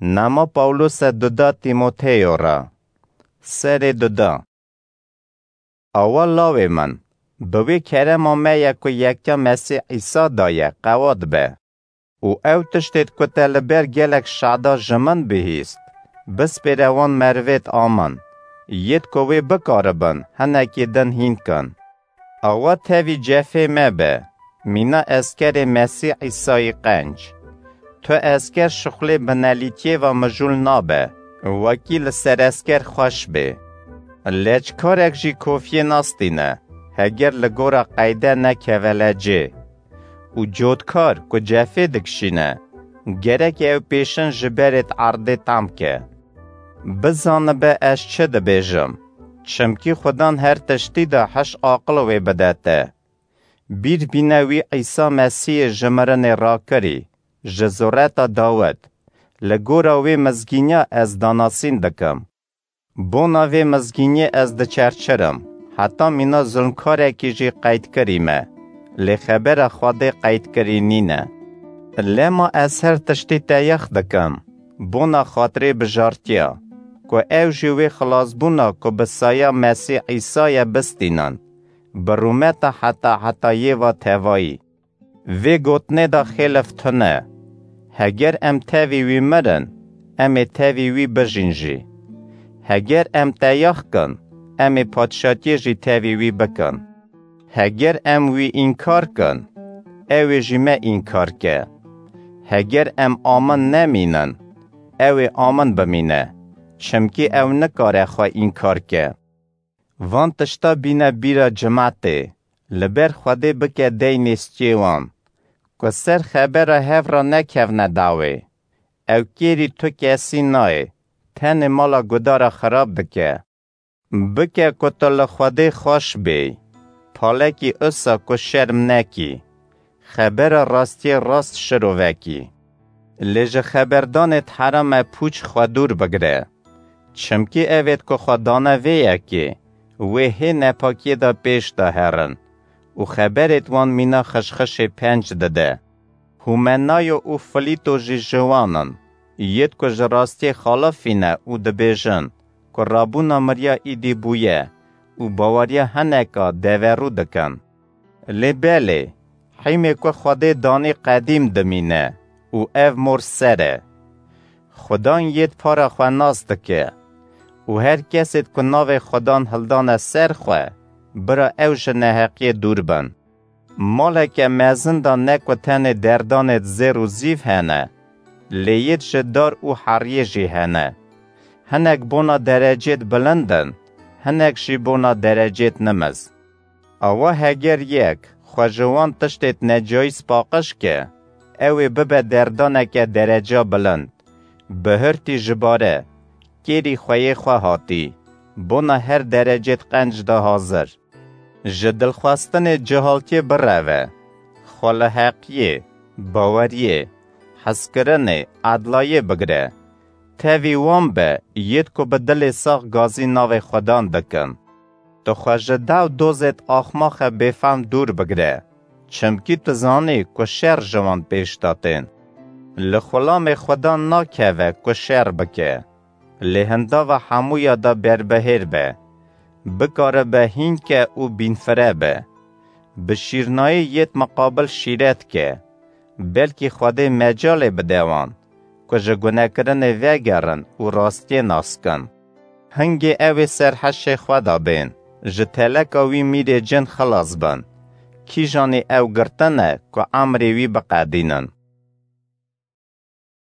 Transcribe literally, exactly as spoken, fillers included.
Nama Pawlose duda Tîmoteyo re. Serê duda. Awa lawê min, bi wê kerema me ye ku yekya Mesîh Îsa da ye, qewat be. Û ew tiştêt ku te li ber gelek şada ji min bihîst, bispêre wan merivêt a min, yêt ku wê bikaribin hinekî din hîn kin. Awa tevî cefê me be, mîna eskerê Mesîh Îsayî qenc. Tu esker şixulê binelîtiyê ve mijûl nabe, wekî li ser esker xweş bê. Leçkarek jî kofiyê nastîne, heger li gora qeyde nekeve lecê. Û cotkar ku cefê dikişîne, gerek ew pêşin ji berê erdê tam ke. Bizanibe ez çi dibêjim, çimkî Xudan her tiştî de hiş aqil wê bide te. Bîr bîne wî Îsa Mesîhê ji mirinê rakirî, ji zureta Dawid, li gora wê mizgîniya ez danasîn dikim. Bona vê mizgîniyê ez diçerçirim, heta mîna zulmkarekî jî qeydkirî me, lê xebera Xwedê qeydkirî nîne. Lema ez her tiştî teyax dikim, bona xatirê bijartiya, ku ew jî wê xilasbûna ku bi saya Mesîh Îsa ye bistînin, bi rûmeta heta hetayê va tevayî. Vê gotinê de xêlif tune. Heger em tevî wî mirin, em ê tevî wî bijîn jî. Heger em teyax kin, em ê padşatiyê jî tevî wî bikin. Heger em wî înkar kin, ew ê jî me înkar ke. Heger em amin nemînin, ew ê amin bimîne, çimkî ew nikare xwe înkar ke. Van tişta bîne bîra cimatê, li ber Xwedê bike deynê stiyê wan, ku ser xebera hev re nekevne dawê. Ew kêrî tu kesî nayê, tenê mala gudara xirab dike. Bike ku tu li Xwedê xweş bêy, palekî usa ku şerm nekî, xebera rastiyê rast şirovekî. Lê ji xeberdanêt herame pûç xwe dûr bigire. Çimkî evêt ku xwe dane vê yekê, wê hê nepakiyê de pêş de herin û xeberêt wan mîna xişxişê penc dide. Humenayo û Filîto jî ji wan in, yêt ku ji rastiyê xalifîne û dibêjin ku rabûna miriya îdî bûye û baweriya hineka deverû dikin. Lê belê, hîmê ku Xwedê danî qedîm dimîne û ev mor ser e. Xudan yêt para xwe nas dike û her kesêt ku navê Xudan hildane ser xwe, bira ew ji neheqiyê dûr bin. Maleke mezin de ne ku tenê derdanêt zêr û zîv hene, lê yêt ji dar û heriyê jî hene. Hinek bona derecêt bilind in, hinek jî bona derecêt nimiz. Awa heger yek xwe ji wan tiştêt necayîz paqij ke, ew ê bibe derdaneke dereca bilind. Bihurtî ji bare, kêrî xweyê xwe hatî, bona her derecêt qenc de hazir. Ji dilxwestinê cihaltiyê bireve, xwe li heqiyê, baweriyê, hezkirinê, edlayê bigire. Tevî wan be, yêt ku bi dilê sax gazî navê Xudan dikin. Tu xwe ji dew dozêt axmaxe bêfehm dûr bigire, çimkî tu zanî ku şer ji wan pêş de tên. Li xulamê Xudan nakeve ku şer bike, lê hindava hemûya de berbihêr be. Bikaribe hîn ke û bînfire be. Bi şîrnayî yêt miqabil şîret ke. Belkî Xwedê mecalê bide wan, ku ji gunekirinê vegerin û rastiyê nas kin. Hingê ew ê ser heşê xwe de bên, ji teleka wî mîrê cin xilas bin. Kîjanî ew girtine ku emrê wî biqedînin.